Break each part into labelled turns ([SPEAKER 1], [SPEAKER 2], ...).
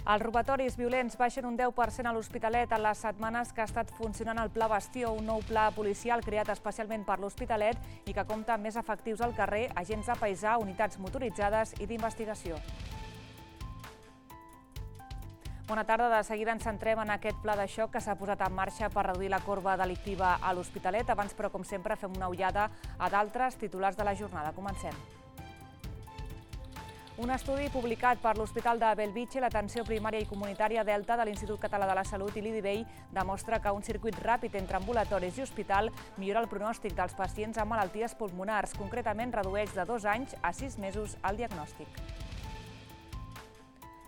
[SPEAKER 1] Els robatoris violents baixen un 10% a l'Hospitalet en les setmanes que ha estat funcionant el Pla Bastió, un nou pla policial creat especialment per l'Hospitalet i que compta amb més efectius al carrer, agents de paisà, unitats motoritzades i d'investigació. Bona tarda. De seguida ens centrem en aquest pla de xoc que s'ha posat en marxa per reduir la corba delictiva a l'Hospitalet. Abans, però, com sempre, fem una ullada a d'altres titulars de la jornada. Comencem. Un estudi publicat per l'Hospital de Bellvitge, l'atenció primària i comunitària Delta de l'Institut Català de la Salut i l'IDIVEI demostra que un circuit ràpid entre ambulatoris i hospital millora el pronòstic dels pacients amb malalties pulmonars. Concretament, redueix de 2 anys a 6 mesos el diagnòstic.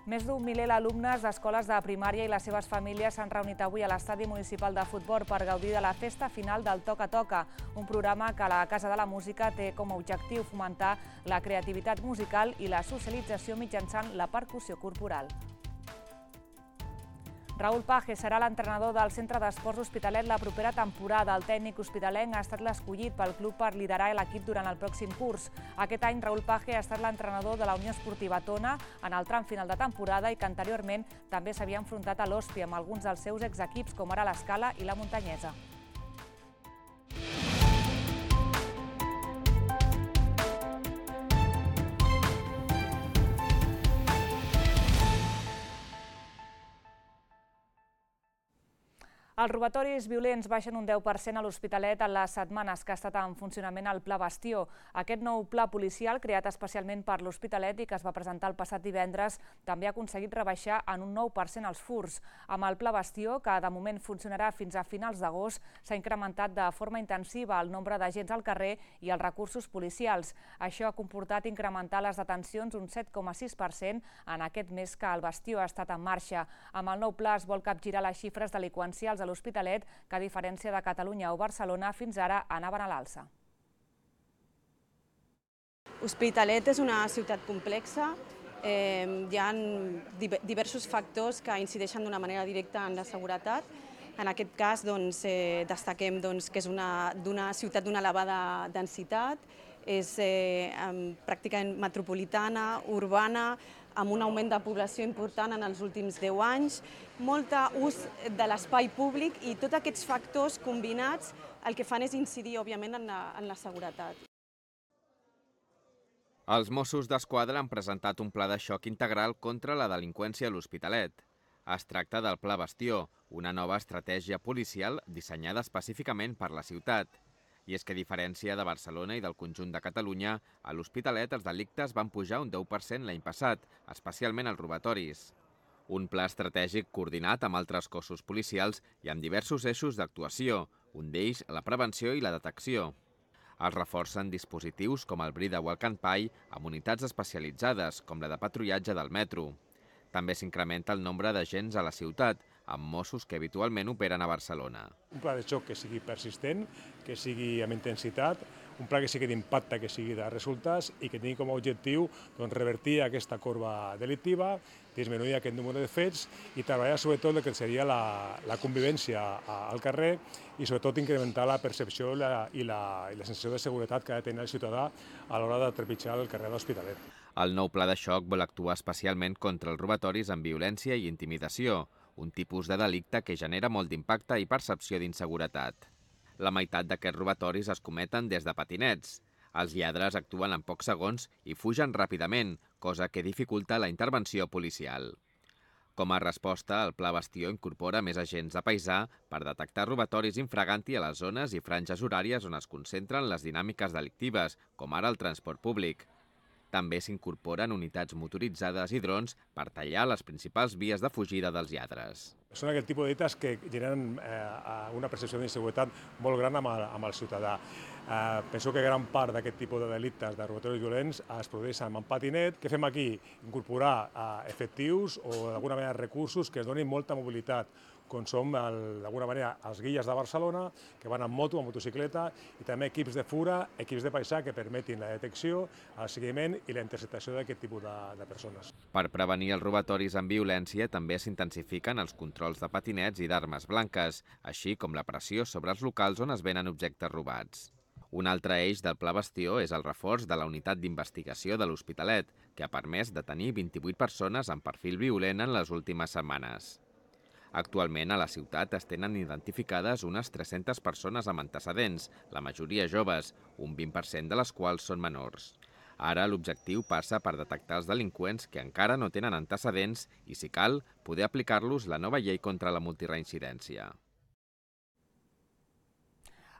[SPEAKER 1] Més d'un miler d'alumnes d'escoles de primària i les seves famílies s'han reunit avui a l'estadi municipal de futbol per gaudir de la festa final del Toca Toca, un programa que la Casa de la Música té com a objectiu fomentar la creativitat musical i la socialització mitjançant la percussió corporal. Raúl Page serà l'entrenador del Centre d'Esports Hospitalet la propera temporada. El tècnic hospitalenc ha estat l'escollit pel club per liderar l'equip durant el pròxim curs. Aquest any, Raúl Page ha estat l'entrenador de la Unió Esportiva Tona en el tram final de temporada i que anteriorment també s'havia enfrontat a l'Hospi amb alguns dels seus exequips, com ara l'Escala i la Muntanyesa. Els robatoris violents baixen un 10% a l'Hospitalet en les setmanes que ha estat en funcionament el Pla Bastió. Aquest nou pla policial, creat especialment per l'Hospitalet i que es va presentar el passat divendres, també ha aconseguit rebaixar en un 9% els furts. Amb el Pla Bastió, que de moment funcionarà fins a finals d'agost, s'ha incrementat de forma intensiva el nombre d'agents al carrer i els recursos policials. Això ha comportat incrementar les detencions un 7,6% en aquest mes que el Bastió ha estat en marxa. Amb el nou pla es vol capgirar les xifres delinqüencials a l'Hospitalet, que a diferència de Catalunya o Barcelona, fins ara anaven a l'alça.
[SPEAKER 2] L'Hospitalet és una ciutat complexa. Hi ha diversos factors que incideixen d'una manera directa en la seguretat. En aquest cas, destaquem que és d'una ciutat d'una elevada densitat, és pràcticament metropolitana, urbana, amb un augment de població important en els últims 10 anys, molt ús de l'espai públic i tots aquests factors combinats el que fan és incidir, òbviament, en la seguretat.
[SPEAKER 3] Els Mossos d'Esquadra han presentat un pla de xoc integral contra la delinqüència a l'Hospitalet. Es tracta del Pla Bastió, una nova estratègia policial dissenyada específicament per la ciutat. I és que, a diferència de Barcelona i del conjunt de Catalunya, a l'Hospitalet els delictes van pujar un 10% l'any passat, especialment els robatoris. Un pla estratègic coordinat amb altres cossos policials i amb diversos eixos d'actuació, un d'ells la prevenció i la detecció. Es reforcen dispositius com el Brida Walk and Pie amb unitats especialitzades, com la de patrullatge del metro. També s'incrementa el nombre d'agents a la ciutat, amb Mossos que habitualment operen a Barcelona.
[SPEAKER 4] Un pla de xoc que sigui persistent, que sigui amb intensitat, un pla que sigui d'impacte, que sigui de resultats i que tingui com a objectiu revertir aquesta corba delictiva, disminuir aquest número de fets i treballar sobretot el que seria la convivència al carrer i sobretot incrementar la percepció i la sensació de seguretat que ha de tenir el ciutadà a l'hora de trepitjar el carrer de l'Hospitalet.
[SPEAKER 3] El nou pla de xoc vol actuar especialment contra els robatoris amb violència i intimidació, un tipus de delicte que genera molt d'impacte i percepció d'inseguretat. La meitat d'aquests robatoris es cometen des de patinets. Els lladres actuen en pocs segons i fugen ràpidament, cosa que dificulta la intervenció policial. Com a resposta, el Pla Bastió incorpora més agents de paisà per detectar robatoris infraganti a les zones i franges horàries on es concentren les dinàmiques delictives, com ara el transport públic. També s'incorporen unitats motoritzades i drons per tallar les principals vies de fugida dels lladres.
[SPEAKER 4] Són aquest tipus de delictes que generen una percepció d'inseguretat molt gran amb el ciutadà. Penso que gran part d'aquest tipus de delictes de robatoris violents es produeixen amb patinet. Què fem aquí? Incorporar efectius o d'alguna manera recursos que es donin molta mobilitat, com són d'alguna manera els guilles de Barcelona, que van amb moto, amb motocicleta, i també equips de fura, equips de paisà que permetin la detecció, el seguiment i la interceptació d'aquest tipus de persones.
[SPEAKER 3] Per prevenir els robatoris amb violència també s'intensifiquen els controls de patinets i d'armes blanques, així com la pressió sobre els locals on es venen objectes robats. Un altre eix del Pla Bastió és el reforç de la unitat d'investigació de l'Hospitalet, que ha permès detenir 28 persones amb perfil violent en les últimes setmanes. Actualment a la ciutat es tenen identificades unes 300 persones amb antecedents, la majoria joves, un 20% de les quals són menors. Ara l'objectiu passa per detectar els delinqüents que encara no tenen antecedents i, si cal, poder aplicar-los la nova llei contra la multireincidència.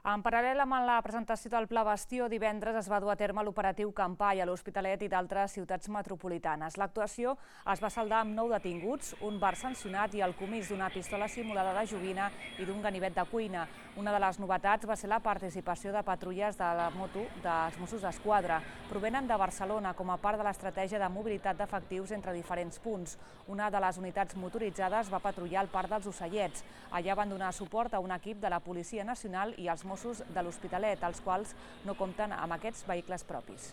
[SPEAKER 1] En paral·lel amb la presentació del Pla Bastió, divendres es va dur a terme l'operatiu Campai a l'Hospitalet i d'altres ciutats metropolitanes. L'actuació es va saldar amb 9 detinguts, un bar sancionat i el comís d'una pistola simulada de joguina i d'un ganivet de cuina. Una de les novetats va ser la participació de patrulles de la moto dels Mossos d'Esquadra. Provenen de Barcelona com a part de l'estratègia de mobilitat d'efectius entre diferents punts. Una de les unitats motoritzades va patrullar al Parc dels Ocellets. Allà van donar suport a un equip de la Policia Nacional i els Mossos de l'Hospitalet, els quals no compten amb aquests vehicles propis.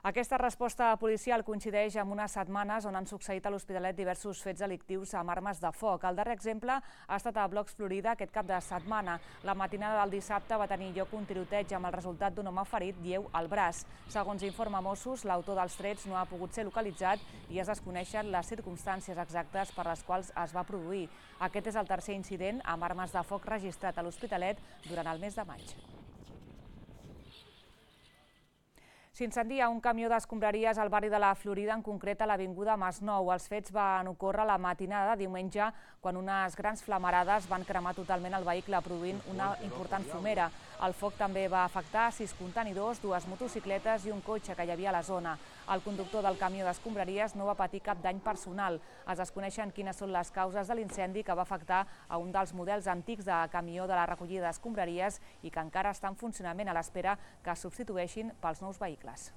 [SPEAKER 1] Aquesta resposta policial coincideix amb unes setmanes on han succeït a l'Hospitalet diversos fets delictius amb armes de foc. El darrer exemple ha estat a Blocs Florida aquest cap de setmana. La matinada del dissabte va tenir lloc un tiroteig amb el resultat d'un home ferit lleu al braç. Segons informa Mossos, l'autor dels trets no ha pogut ser localitzat i es desconeixen les circumstàncies exactes per les quals es va produir. Aquest és el tercer incident amb armes de foc registrat a l'Hospitalet durant el mes de maig. S'incendia un camió d'escombraries al barri de la Florida, en concret a l'avinguda Masnou. Els fets van ocórrer la matinada de diumenge, quan unes grans flamarades van cremar totalment el vehicle, produint una important fumera. El foc també va afectar 6 contenidors, 2 motocicletes i un cotxe que hi havia a la zona. El conductor del camió d'escombraries no va patir cap dany personal. Es desconeixen quines són les causes de l'incendi que va afectar a un dels models antics de camió de la recollida d'escombraries i que encara està en funcionament a l'espera que es substitueixin pels nous vehicles.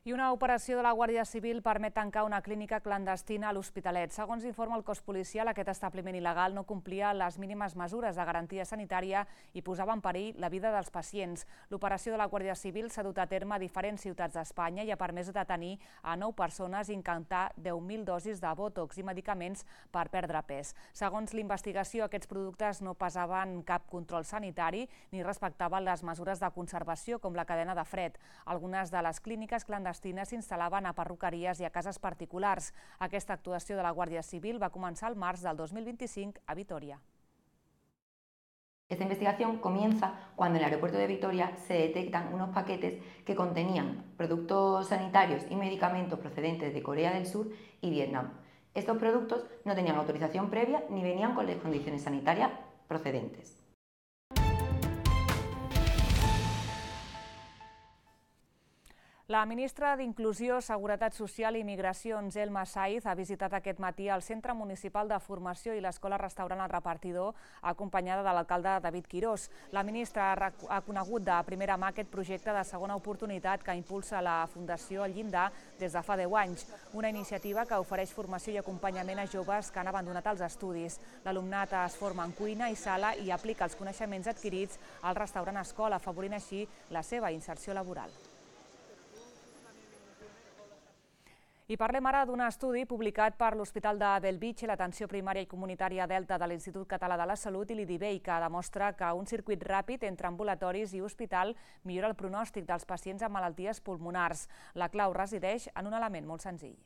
[SPEAKER 1] I una operació de la Guàrdia Civil permet tancar una clínica clandestina a l'Hospitalet. Segons informa el cos policial, aquest establiment il·legal no complia les mínimes mesures de garantia sanitària i posava en perill la vida dels pacients. L'operació de la Guàrdia Civil s'ha dut a terme a diferents ciutats d'Espanya i ha permès detenir a 9 persones i incatar 10.000 dosis de bòtox i medicaments per perdre pes. Segons l'investigació, aquests productes no passaven cap control sanitari ni respectaven les mesures de conservació com la cadena de fred. Algunes de les clíniques clandestines s'instal·laven a perruqueries i a cases particulars. Aquesta actuació de la Guàrdia Civil va començar al març del 2025 a Vitoria.
[SPEAKER 5] Esta investigación comienza cuando en el aeropuerto de Vitoria se detectan unos paquetes que contenían productos sanitarios y medicamentos procedentes de Corea del Sur y Vietnam. Estos productos no tenían autorización previa ni venían con las condiciones sanitarias procedentes.
[SPEAKER 1] La ministra d'Inclusió, Seguretat Social i Migracions, Elma Saiz, ha visitat aquest matí el Centre Municipal de Formació i l'Escola-Restaurant El Repartidor, acompanyada de l'alcalde David Quirós. La ministra ha conegut de primera mà aquest projecte de segona oportunitat que impulsa la Fundació El Llindar des de fa 10 anys. Una iniciativa que ofereix formació i acompanyament a joves que han abandonat els estudis. L'alumnat es forma en cuina i sala i aplica els coneixements adquirits al restaurant-escola, afavorint així la seva inserció laboral. I parlem ara d'un estudi publicat per l'Hospital de Bellvitge, l'Atenció Primària i Comunitària Delta de l'Institut Català de la Salut i l'IDIVEI, que demostra que un circuit ràpid entre ambulatoris i hospital millora el pronòstic dels pacients amb malalties pulmonars. La clau resideix en un element molt senzill.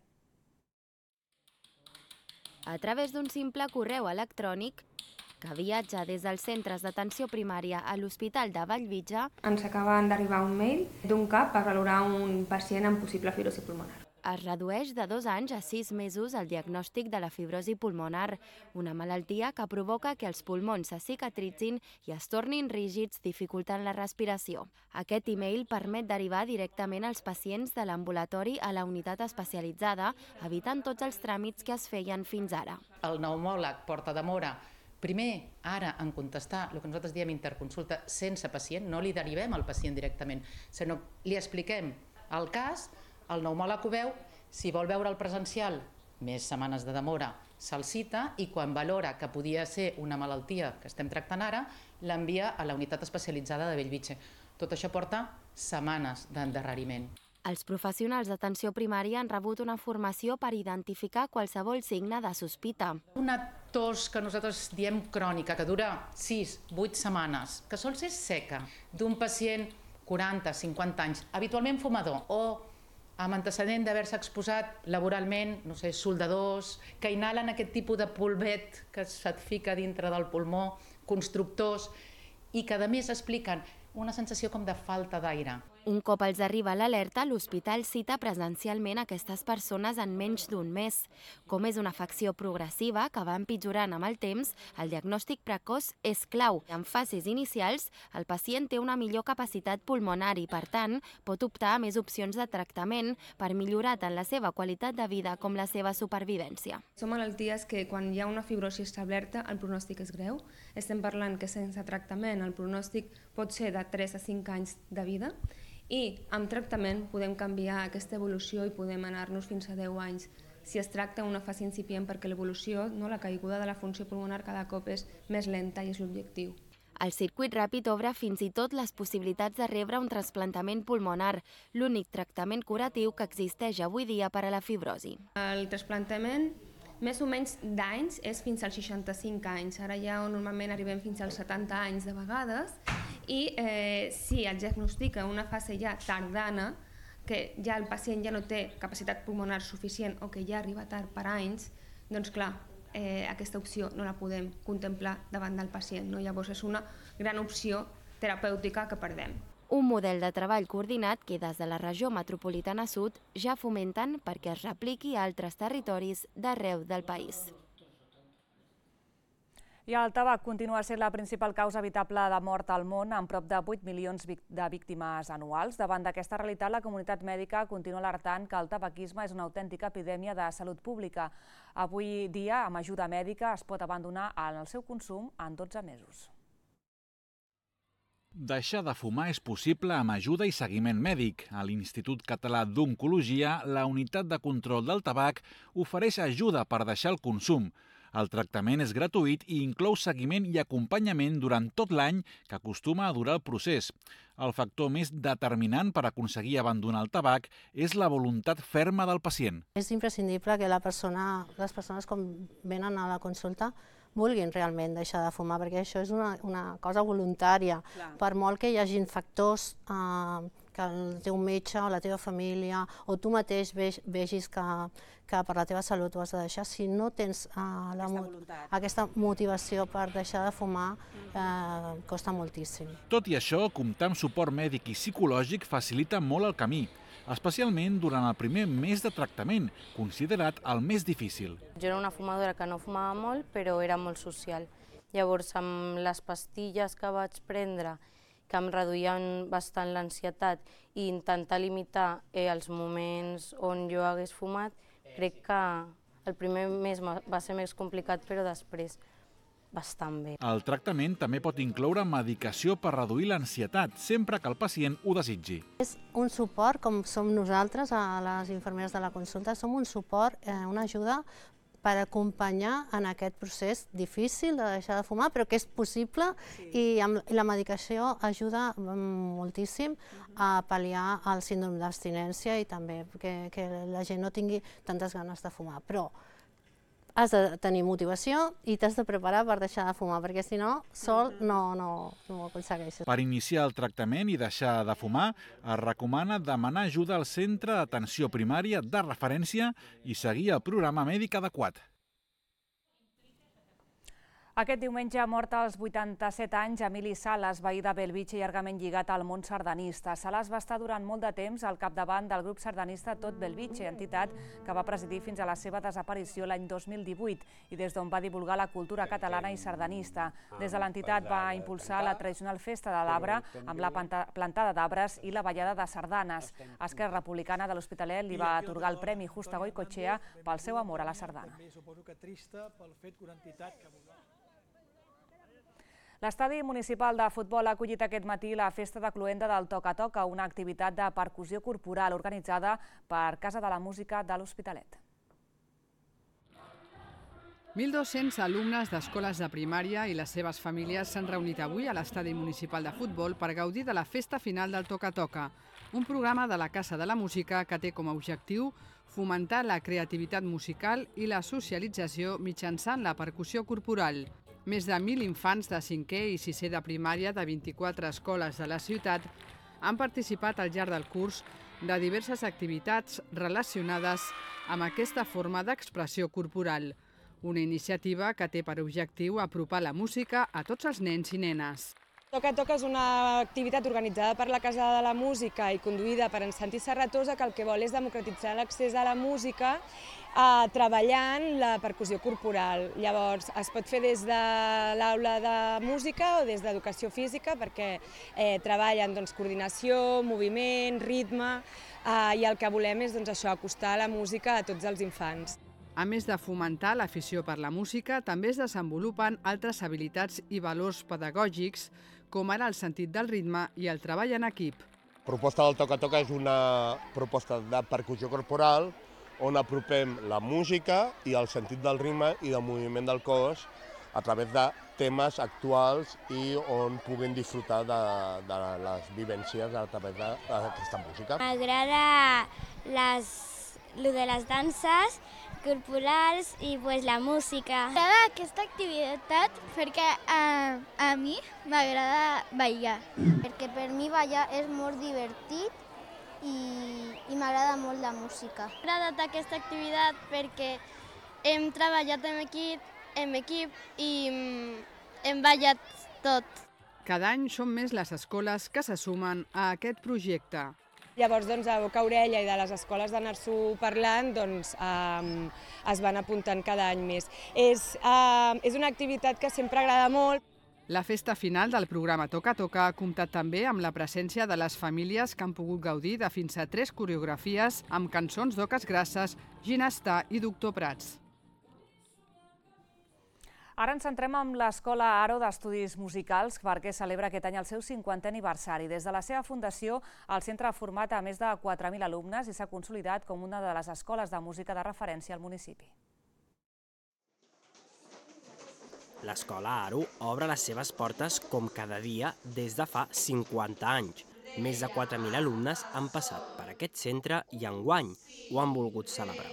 [SPEAKER 6] A través d'un simple correu electrònic que viatja des dels centres d'atenció primària a l'Hospital de Bellvitge,
[SPEAKER 7] ens acaben d'arribar un mail d'un CAP per valorar un pacient amb possible fibrosi pulmonar.
[SPEAKER 6] Es redueix de 2 anys a 6 mesos el diagnòstic de la fibrosi pulmonar, una malaltia que provoca que els pulmons se cicatritzin i es tornin rígids, dificultant la respiració. Aquest e-mail permet derivar directament els pacients de l'ambulatori a la unitat especialitzada, evitant tots els tràmits que es feien fins ara.
[SPEAKER 8] El pneumòleg porta demora primer, ara, en contestar el que nosaltres diem interconsulta sense pacient, no li derivem al pacient directament, sinó li expliquem el cas, el pneumòleg ho veu, si vol veure el presencial, més setmanes de demora, se'l cita i quan valora que podia ser una malaltia que estem tractant ara, l'envia a la unitat especialitzada de Bellvitge. Tot això porta setmanes d'endarreriment.
[SPEAKER 6] Els professionals d'atenció primària han rebut una formació per identificar qualsevol signe de sospita.
[SPEAKER 8] Una tos que nosaltres diem crònica, que dura 6-8 setmanes, que sol ser seca, d'un pacient 40-50 anys, habitualment fumador o amb antecedent d'haver-se exposat laboralment, no sé, soldadors, que inhalen aquest tipus de polvet que se't fica dintre del pulmó, constructors, i que a més expliquen una sensació com de falta d'aire.
[SPEAKER 6] Un cop els arriba l'alerta, l'hospital cita presencialment aquestes persones en menys d'un mes. Com és una afecció progressiva que va empitjorant amb el temps, el diagnòstic precoç és clau. En fases inicials, el pacient té una millor capacitat pulmonar i, per tant, pot optar a més opcions de tractament per millorar tant la seva qualitat de vida com la seva supervivència.
[SPEAKER 7] Són malalties que quan hi ha una fibrosi establerta el pronòstic és greu. Estem parlant que sense tractament el pronòstic pot ser de 3 a 5 anys de vida i amb tractament podem canviar aquesta evolució i podem anar-nos fins a 10 anys si es tracta d'una fase incipient, perquè l'evolució, la caiguda de la funció pulmonar cada cop és més lenta i és l'objectiu.
[SPEAKER 6] El circuit ràpid obre fins i tot les possibilitats de rebre un trasplantament pulmonar, l'únic tractament curatiu que existeix avui dia per a la fibrosi.
[SPEAKER 7] El trasplantament més o menys d'anys és fins als 65 anys. Ara ja normalment arribem fins als 70 anys de vegades i si es diagnostica una fase ja tardana, que ja el pacient ja no té capacitat pulmonar suficient o que ja arriba tard per anys, doncs clar, aquesta opció no la podem contemplar davant del pacient. Llavors és una gran opció terapèutica que perdem.
[SPEAKER 6] Un model de treball coordinat que des de la regió metropolitana sud ja fomenten perquè es repliqui a altres territoris d'arreu del país.
[SPEAKER 1] I el tabac continua sent la principal causa evitable de mort al món, amb prop de 8 milions de víctimes anuals. Davant d'aquesta realitat, la comunitat mèdica continua alertant que el tabaquisme és una autèntica epidèmia de salut pública. Avui dia, amb ajuda mèdica, es pot abandonar el seu consum en 12 mesos.
[SPEAKER 9] Deixar de fumar és possible amb ajuda i seguiment mèdic. A l'Institut Català d'Oncologia, la unitat de control del tabac ofereix ajuda per deixar el consum. El tractament és gratuït i inclou seguiment i acompanyament durant tot l'any, que acostuma a durar el procés. El factor més determinant per aconseguir abandonar el tabac és la voluntat ferma del pacient.
[SPEAKER 10] És imprescindible que les persones quan venen a la consulta vulguin realment deixar de fumar, perquè això és una cosa voluntària. Per molt que hi hagin factors que el teu metge o la teva família o tu mateix vegis que per la teva salut ho has de deixar, si no tens aquesta motivació per deixar de fumar, costa moltíssim.
[SPEAKER 9] Tot i això, comptar amb suport mèdic i psicològic facilita molt el camí, especialment durant el primer mes de tractament, considerat el més difícil.
[SPEAKER 11] Jo era una fumadora que no fumava molt, però era molt social. Llavors, amb les pastilles que vaig prendre, que em reduïen bastant l'ansietat, i intentar limitar els moments on jo hagués fumat, crec que el primer mes va ser més complicat, però després bastant bé.
[SPEAKER 9] El tractament també pot incloure medicació per reduir l'ansietat, sempre que el pacient ho desitgi.
[SPEAKER 10] És un suport, com som nosaltres, a les infermeres de la consulta, som un suport, una ajuda per acompanyar en aquest procés difícil de deixar de fumar, però que és possible i la medicació ajuda moltíssim a pal·liar el síndrome d'abstinència i també que la gent no tingui tantes ganes de fumar. Però has de tenir motivació i t'has de preparar per deixar de fumar, perquè si no, sol no ho aconsegueixes.
[SPEAKER 9] Per iniciar el tractament i deixar de fumar, es recomana demanar ajuda al centre d'atenció primària de referència i seguir el programa mèdic adequat.
[SPEAKER 1] Aquest diumenge ha mort als 87 anys Emili Sales, veí de Bellvitge i llargament lligat al món sardanista. Sales va estar durant molt de temps al capdavant del grup sardanista Tot Bellvitge, entitat que va presidir fins a la seva desaparició l'any 2018 i des d'on va divulgar la cultura catalana i sardanista. Des de l'entitat va impulsar la tradicional festa de l'arbre amb la plantada d'arbres i la ballada de sardanes. Esquerra Republicana de l'Hospitalet li va atorgar el Premi Justa Goicoechea pel seu amor a la sardana. L'estadi municipal de futbol ha acollit aquest matí la festa de cloenda del Toca-Toca, una activitat de percussió corporal organitzada per Casa de la Música de l'Hospitalet.
[SPEAKER 12] 1.200 alumnes d'escoles de primària i les seves famílies s'han reunit avui a l'estadi municipal de futbol per gaudir de la festa final del Toca Toca, un programa de la Casa de la Música que té com a objectiu fomentar la creativitat musical i la socialització mitjançant la percussió corporal. Més de 1.000 infants de 5è i 6è de primària de 24 escoles de la ciutat han participat al llarg del curs de diverses activitats relacionades amb aquesta forma d'expressió corporal. Una iniciativa que té per objectiu apropar la música a tots els nens i nenes.
[SPEAKER 13] Toca Toca és una activitat organitzada per la Casa de la Música i conduïda per en Santi Serratosa, que el que vol és democratitzar l'accés a la música treballant la percussió corporal. Llavors, es pot fer des de l'aula de música o des d'educació física, perquè treballen coordinació, moviment, ritme, i el que volem és acostar la música a tots els infants.
[SPEAKER 12] A més de fomentar l'afició per la música, també es desenvolupen altres habilitats i valors pedagògics, com ara el sentit del ritme i el treball en equip.
[SPEAKER 14] La proposta del Toca Toca és una proposta de percussió corporal on apropem la música i el sentit del ritme i del moviment del cos a través de temes actuals i on puguin disfrutar de les vivències a través d'aquesta música.
[SPEAKER 15] M'agrada lo de les danses corporals i la música.
[SPEAKER 16] M'agrada aquesta activitat perquè a mi m'agrada ballar.
[SPEAKER 15] Perquè per mi ballar és molt divertit i m'agrada molt la música.
[SPEAKER 16] M'ha agradat aquesta activitat perquè hem treballat en equip i hem ballat tot.
[SPEAKER 12] Cada any són més les escoles que se sumen a aquest projecte.
[SPEAKER 13] Llavors, a Boca Orella i de les escoles d'anar-s'ho parlant, es van apuntant cada any més. És una activitat que sempre agrada molt.
[SPEAKER 12] La festa final del programa Toca Toca ha comptat també amb la presència de les famílies que han pogut gaudir de fins a 3 coreografies amb cançons d'Oques Grasses, Ginestar i Doctor Prats.
[SPEAKER 1] Ara ens centrem en l'Escola Aro d'Estudis Musicals perquè celebra aquest any el seu 50è aniversari. Des de la seva fundació, el centre ha format a més de 4.000 alumnes i s'ha consolidat com una de les escoles de música de referència al municipi.
[SPEAKER 17] L'Escola Aro obre les seves portes com cada dia des de fa 50 anys. Més de 4.000 alumnes han passat per aquest centre i enguany ho han volgut celebrar.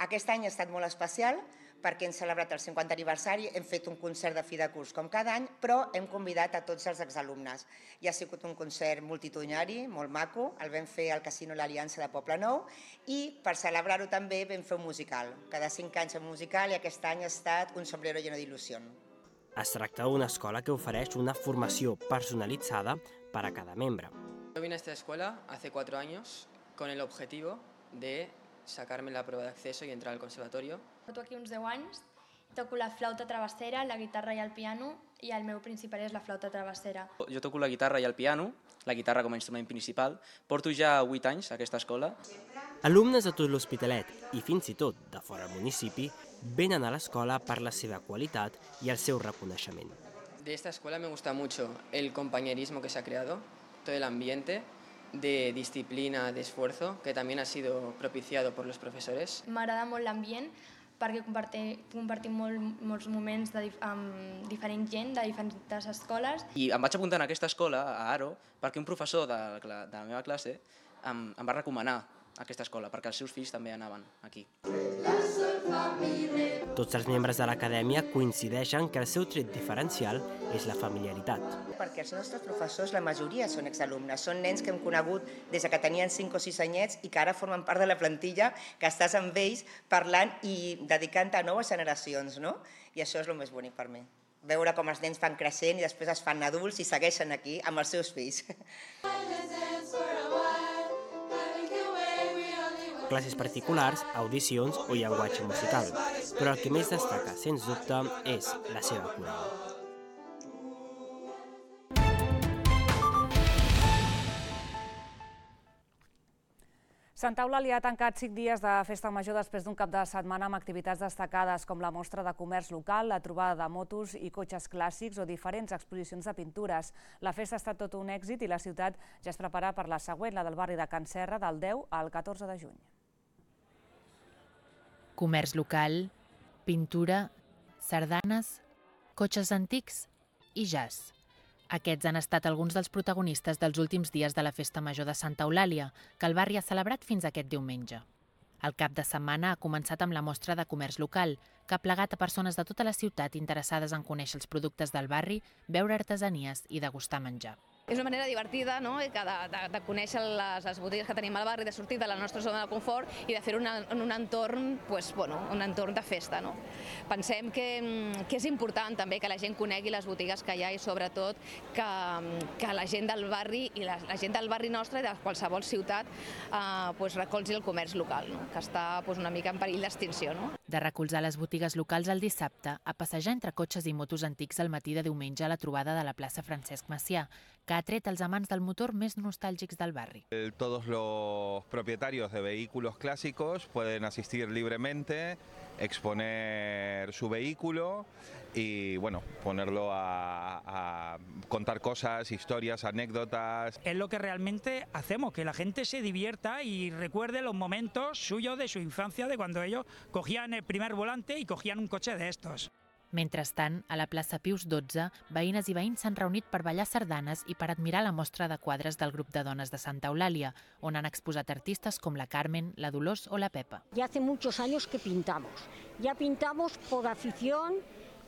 [SPEAKER 18] Aquest any ha estat molt especial perquè hem celebrat el 50è aniversari, hem fet un concert de fi de curs com cada any, però hem convidat a tots els exalumnes. I ha sigut un concert multitudinari, molt maco, el vam fer al Casino L'Aliança de Poblenou i per celebrar-ho també vam fer un musical. Cada 5 anys un musical i aquest any ha estat Un sombrero lleno de ilusión.
[SPEAKER 17] Es tracta d'una escola que ofereix una formació personalitzada per a cada membre.
[SPEAKER 19] Yo vine a esta escuela hace 4 años con el objetivo de sacarme la prueba de acceso y entrar al conservatorio.
[SPEAKER 20] Porto aquí uns 10 anys, toco la flauta travessera, la guitarra i el piano, i el meu principal és la flauta travessera.
[SPEAKER 19] Jo toco la guitarra i el piano, la guitarra com a instrument principal. Porto ja 8 anys a aquesta escola.
[SPEAKER 17] Alumnes de tot l'Hospitalet i fins i tot de fora del municipi venen a l'escola per la seva qualitat i el seu reconeixement.
[SPEAKER 19] De esta escuela me gusta mucho el compañerismo que se ha creado, todo el ambiente de disciplina, de esfuerzo, que también ha sido propiciado por los profesores.
[SPEAKER 20] M'agrada molt l'ambient perquè compartim molts moments amb diferent gent de diferents escoles.
[SPEAKER 19] I em vaig apuntar en aquesta escola, a Aro, perquè un professor de la meva classe em va recomanar aquesta escola, perquè els seus fills també anaven aquí.
[SPEAKER 17] Tots els membres de l'acadèmia coincideixen que el seu tret diferencial és la familiaritat.
[SPEAKER 18] Perquè els nostres professors, la majoria són exalumnes, són nens que hem conegut des que tenien 5 o 6 anyets i que ara formen part de la plantilla, que estàs amb ells parlant i dedicant a noves generacions, no? I això és el més bonic per mi. Veure com els nens van creixent i després es fan adults i segueixen aquí amb els seus fills.
[SPEAKER 17] Classes particulars, audicions o llenguatge musical, però el que més destaca, sens dubte, és la seva coral.
[SPEAKER 1] Sant Eulàlia ha tancat 5 dies de festa major després d'un cap de setmana amb activitats destacades com la mostra de comerç local, la trobada de motos i cotxes clàssics o diferents exposicions de pintures. La festa ha estat tot un èxit i la ciutat ja es prepara per la següent, la del barri de Can Serra, del 10 al 14 de juny.
[SPEAKER 21] Comerç local, pintura, sardanes, cotxes antics i jazz. Aquests han estat alguns dels protagonistes dels últims dies de la Festa Major de Santa Eulàlia, que el barri ha celebrat fins aquest diumenge. El cap de setmana ha començat amb la mostra de comerç local, que ha plegat a persones de tota la ciutat interessades en conèixer els productes del barri, veure artesanies i degustar menjar.
[SPEAKER 22] És una manera divertida de conèixer les botigues que tenim al barri, de sortir de la nostra zona de confort i de fer-ho en un entorn de festa. Pensem que és important també que la gent conegui les botigues que hi ha i sobretot que la gent del barri i la gent del barri nostre i de qualsevol ciutat recolzi el comerç local, que està una mica en perill d'extinció.
[SPEAKER 21] De recolzar les botigues locals el dissabte, a passejar entre cotxes i motos antics al matí de diumenge a la trobada de la plaça Francesc Macià, que ha tret els amants del motor més nostàlgics del barri.
[SPEAKER 23] Todos los propietarios de vehículos clásicos pueden asistir libremente, exponer su vehículo y ponerlo a contar cosas, historias, anécdotas.
[SPEAKER 24] Es lo que realmente hacemos, que la gente se divierta y recuerde los momentos suyos de su infancia, de cuando ellos cogían el primer volante y cogían un coche de estos.
[SPEAKER 21] Mentrestant, a la plaça Pius XII, veïnes i veïns s'han reunit per ballar sardanes i per admirar la mostra de quadres del grup de dones de Santa Eulàlia, on han exposat artistes com la Carmen, la Dolors o la Pepa.
[SPEAKER 25] Ya hace muchos años que pintamos. Ya pintamos por afición,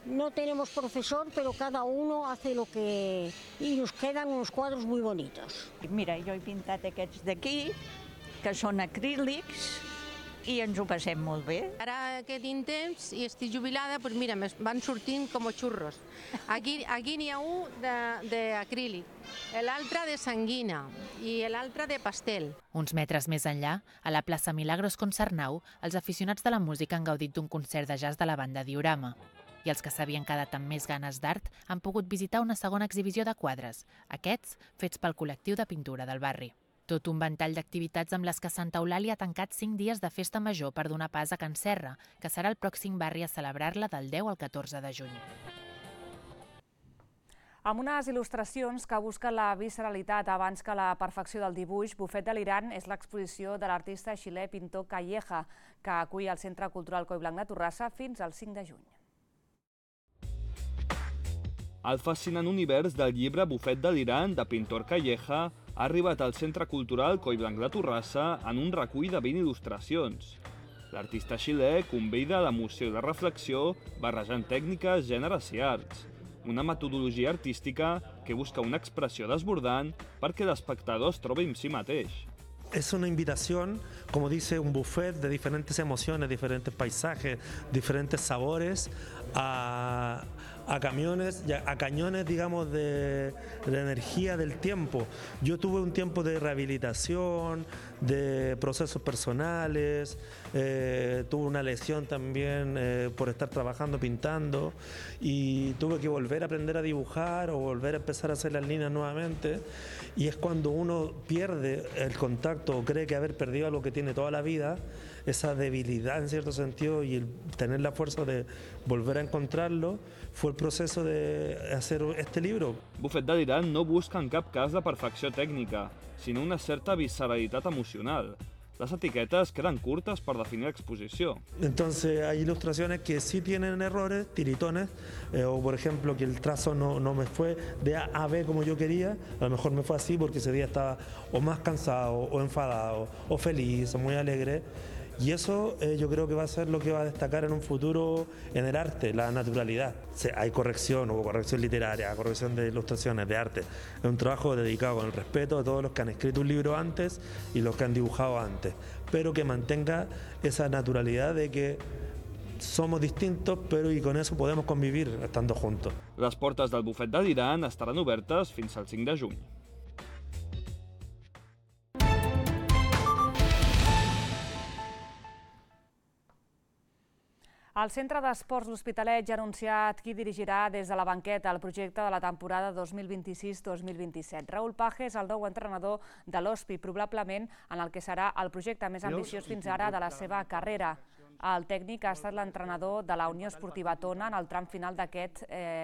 [SPEAKER 25] no tenemos profesor, pero cada uno hace lo que... y nos quedan unos cuadros muy bonitos.
[SPEAKER 26] Mira, jo he pintat aquests d'aquí, que són acrílics, i ens ho passem molt bé.
[SPEAKER 27] Ara que tinc temps i estic jubilada, doncs mira, van sortint com xurros. Aquí n'hi ha un d'acrílic, l'altre de sanguina i l'altre de pastel.
[SPEAKER 21] Uns metres més enllà, a la plaça Milagros Concernau, els aficionats de la música han gaudit d'un concert de jazz de la banda Diorama. I els que s'havien quedat amb més ganes d'art han pogut visitar una segona exhibició de quadres, aquests fets pel col·lectiu de pintura del barri. Tot un ventall d'activitats amb les que Santa Eulàlia ha tancat 5 dies de festa major per donar pas a Can Serra, que serà el pròxim barri a celebrar-la del 10 al 14 de juny.
[SPEAKER 1] Amb unes il·lustracions que busquen la visceralitat abans que la perfecció del dibuix, Bufet delirant és l'exposició de l'artista xilè pintor Calleja, que acull al Centre Cultural Collblanc de Torrassa fins al 5 de juny.
[SPEAKER 28] El fascinant univers del llibre Bufet delirant de pintor Calleja ha arribat al Centre Cultural Collblanc de Torrassa en un recull de 20 il·lustracions. L'artista xilè convida a l'emoció i la reflexió barrejant tècniques, gèneres i arts. Una metodologia artística que busca una expressió desbordant perquè l'espectador es trobi en si mateix.
[SPEAKER 29] Es una invitación, como dice, un buffet de diferentes emociones, diferentes paisajes, diferentes sabores, a cañones, digamos, de energía del tiempo. Yo tuve un tiempo de rehabilitación, de procesos personales, tuve una lesión también por estar trabajando, pintando, y tuve que volver a aprender a dibujar o volver a empezar a hacer las líneas nuevamente, y es cuando uno pierde el contacto o cree que haber perdido algo que tiene toda la vida, esa debilidad en cierto sentido y el tener la fuerza de volver a encontrarlo, fue el proceso de hacer este libro.
[SPEAKER 28] Bufet delirant no busca en cap cas la perfecció tècnica, sinó una certa visceralitat emocional. Las etiquetas quedan curtas para definir la exposición.
[SPEAKER 29] Entonces hay ilustraciones que sí tienen errores, tiritones, o por ejemplo que el trazo no me fue de A a B como yo quería, a lo mejor me fue así porque ese día estaba o más cansado, o enfadado, o feliz, o muy alegre. Y eso yo creo que va a ser lo que va a destacar en un futuro en el arte, la naturalidad. Hay corrección, hubo corrección literaria, corrección de ilustraciones, de arte. Es un trabajo dedicado con el respeto a todos los que han escrito un libro antes y los que han dibujado antes, pero que mantenga esa naturalidad de que somos distintos, pero y con eso podemos convivir estando juntos.
[SPEAKER 28] Les portes del Bufet delirant estaran obertes fins al 5 de juny.
[SPEAKER 1] El Centre d'Esports L'Hospitalet ja ha anunciat qui dirigirà des de la banqueta el projecte de la temporada 2026-2027. Raúl Paje és el nou entrenador de l'Hospi, probablement en el que serà el projecte més ambiciós fins ara de la seva carrera. El tècnic ha estat l'entrenador de la Unió Esportiva Tona en el tram final d'aquest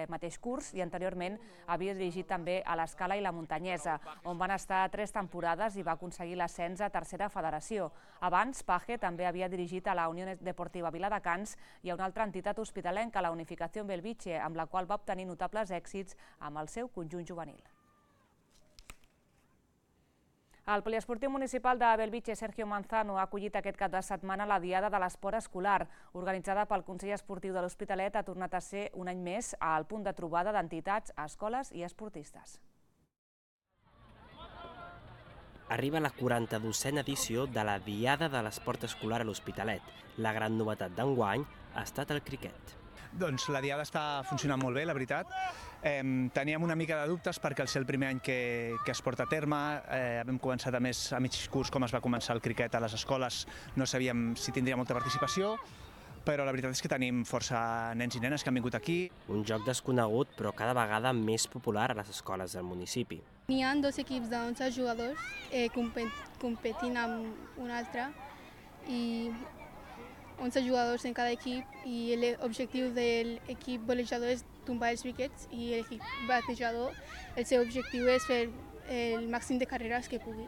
[SPEAKER 1] mateix curs i anteriorment havia dirigit també a l'Escala i la Muntanyesa, on van estar 3 temporades i va aconseguir l'ascens a tercera federació. Abans, Paje també havia dirigit a la Unió Deportiva Viladecans i a una altra entitat hospitalenca, la Unificació Belvitge, amb la qual va obtenir notables èxits amb el seu conjunt juvenil. El poliesportiu municipal de Belvitge, Sergio Manzano, ha acollit aquest cap de setmana la Diada de l'Esport Escolar, organitzada pel Consell Esportiu de l'Hospitalet. Ha tornat a ser un any més al punt de trobada d'entitats, escoles i esportistes.
[SPEAKER 17] Arriba la 42a edició de la Diada de l'Esport Escolar a l'Hospitalet. La gran novetat d'enguany ha estat el criquet.
[SPEAKER 2] Doncs la Diada està funcionant molt bé, la veritat. Teníem una mica de dubtes perquè al ser el primer any que es porta a terme, hem començat a mig curs com es va començar el criquet a les escoles, no sabíem si tindria molta participació, però la veritat és que tenim força nens i nenes que han vingut aquí.
[SPEAKER 17] Un joc desconegut però cada vegada més popular a les escoles del municipi.
[SPEAKER 3] N'hi ha 2 equips de 11 jugadors competint amb un altre i 11 jugadors en cada equip i l'objectiu de l'equip golejador és tombar els wickets i l'equip batejador, el seu objectiu és fer el màxim de carreres que pugui.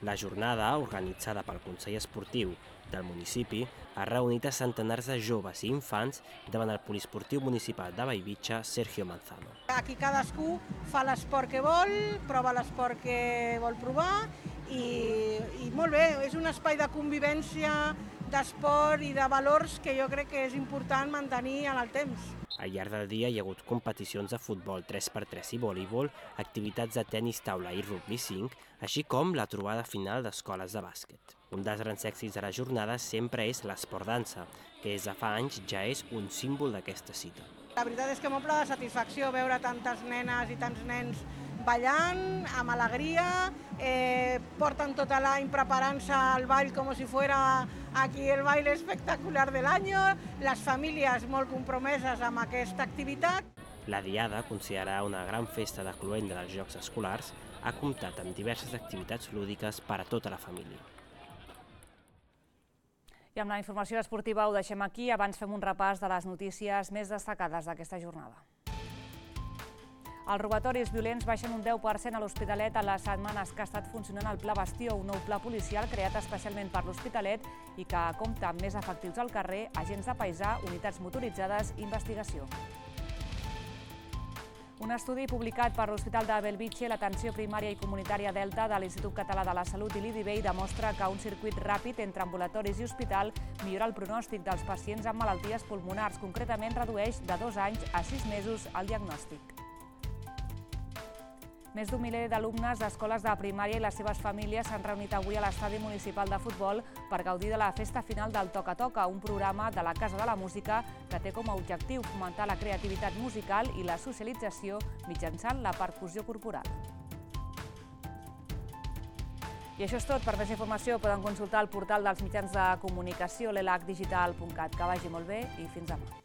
[SPEAKER 17] La jornada, organitzada pel Consell Esportiu del municipi, ha reunit a centenars de joves i infants davant el poliesportiu municipal de Bellvitge, Sergio Manzano.
[SPEAKER 4] Aquí cadascú fa l'esport que vol, prova l'esport que vol provar i molt bé, és un espai de convivència, d'esport i de valors que jo crec que és important mantenir en el temps.
[SPEAKER 17] Al llarg del dia hi ha hagut competicions de futbol 3x3 i voleibol, activitats de tenis taula i rugby 5, així com la trobada final d'escoles de bàsquet. Un dels grans èxits de la jornada sempre és l'esport dansa, que des de fa anys ja és un símbol d'aquesta cita.
[SPEAKER 4] La veritat és que m'omple de satisfacció veure tantes nenes i tants nens ballant, amb alegria, porten tot l'any preparant-se al ball com si fuera aquí el baile espectacular del año, les famílies molt compromeses amb aquesta activitat.
[SPEAKER 17] La Diada, considerada una gran festa de cloenda dels Jocs Escolars, ha comptat amb diverses activitats lúdiques per a tota la família.
[SPEAKER 1] I amb la informació esportiva ho deixem aquí. Abans fem un repàs de les notícies més destacades d'aquesta jornada. Els robatoris violents baixen un 10% a l'Hospitalet en les setmanes que ha estat funcionant el Pla Bastió, un nou pla policial creat especialment per l'Hospitalet i que compta amb més efectius al carrer, agents de paisà, unitats motoritzades i investigació. Un estudi publicat per l'Hospital de Belvitge, l'Atenció Primària i Comunitària Delta de l'Institut Català de la Salut i l'IDIVEI demostra que un circuit ràpid entre ambulatoris i hospital millora el pronòstic dels pacients amb malalties pulmonars. Concretament, redueix de 2 anys a 6 mesos el diagnòstic. Més d'un miler d'alumnes d'escoles de primària i les seves famílies s'han reunit avui a l'estadi municipal de futbol per gaudir de la festa final del Toca Toca, un programa de la Casa de la Música que té com a objectiu fomentar la creativitat musical i la socialització mitjançant la percussió corporal. I això és tot. Per més informació poden consultar el portal dels mitjans de comunicació, l'elacdigital.cat. Que vagi molt bé i fins demà.